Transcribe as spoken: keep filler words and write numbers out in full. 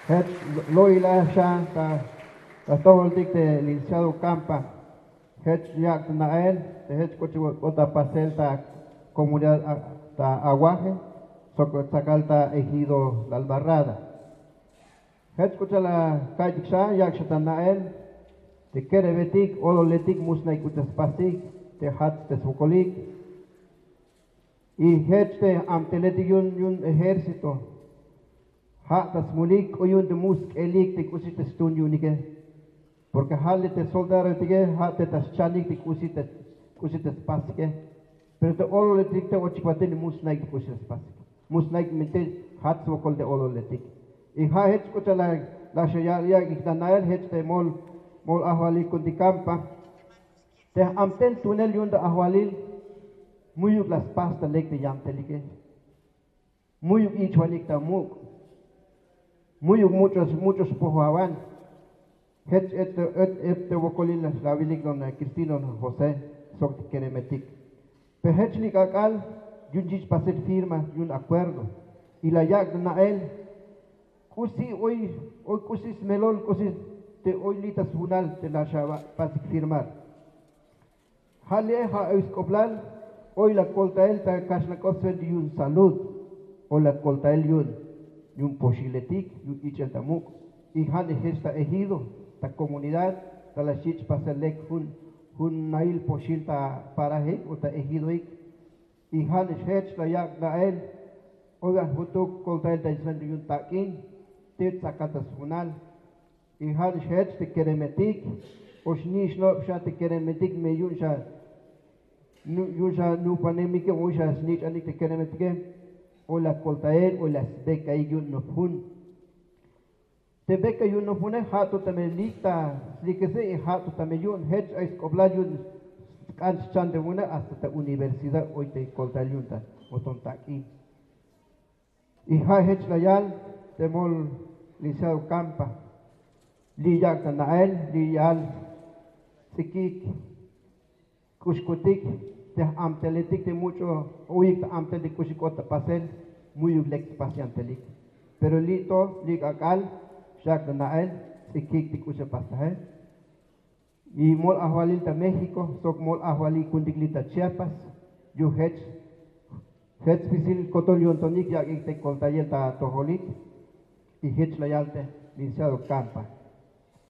Jech lo'il a xan ta ta stojoltik te licenciado Campa. Jech yak' ta na'el te jech k'uchuk'o ta pasel ta comunidad ta Aguaje sok tsakal ta ejido La Albarrada. Jech k'uchal a ka'iytik xan yak' xa ta na'el te keremetik ololetik musnaik k'uchal spasik te jats te swokolik. Y jech te amteletik yu'un yu'un ejército ja' ta smulik k'o yu'un te mu sk'elik te k'usi te stun yu'unike. Porque ja' li te soldadoetike ja' te ta schanik te k'usi te k'usi te spasike. Pero te ololetik te ochik batel musnaik te k'usi te spasike, musnaik minti' jats swokol te ololetik. Y ja' jech k'uchal la xeya'iyik ta na'el jech te mol mol ajwalil ku'untik Campa. Te amten tunel yu'un ta ajwalil mu'yuk la spas ta lek te yamtelike. Mu'yuk ich'wanik ta muk'. Mu'yuk much'o much'o spojoawan. Jech et et et te wokolil la wilik don Cristino don José sok te keremetik. Pe jech li k'ak'al yu'un chich pasel firma yu'un acuerdo. Y la yak' na'el k'usi oy oy k'usi smelol k'usi te oy li ta sjunal te la xapasik firmar. Ja' li'e ja' oy sk'oblal oy la koltael ta kaxlan k'op sbel yu'un salud. O la koltael yu'un yu'un poxiletik yu'un ich'el ta muk'. Y ja' nix jech ta ejido ta comunidad ta la xyich' pasel lek jun jun nail poxil ta parajeik o ta ejidoik. Y ja' nix jech la yak' na'el oy an jutuk koltael ta sbel yu'un tak'in te tsakal ta sjunal. Y ja' nix jech te keremetik o xnich'nob xa te keremetik me yu'un xa yu'un xa nupanemike o yu'un xa snich'anik te keremetike. O la koltael o la sbekaik yu'un nop jun te beka yu'un nop june ja' to tame lik ta slikese y ja' to tame yu'un jech ay sk'oblal yu'un sk'an schan te june hasta ta universidad oy te koltael yu'un ta oton tak'in. Y ja' jech la yal te mol licenciado Campa li yak' ta na'el li yal tz'ikik k'uxkutik te amteletik te much'o uyik ta amtel te k'uxi k'ot ta pasel. Mu'yuk lek spas yantelik pero li to li k'ak'al xyak' ta na'el tz'ikik te k'uxi pastaje. Y mol ajwalil ta México sok mol ajwalil ku'untik li ta Chiapas yu'un jech jech spisil kotol yo'ntonik yak'ik te koltayel ta atojolik. Y jech la yal te licenciado Campa.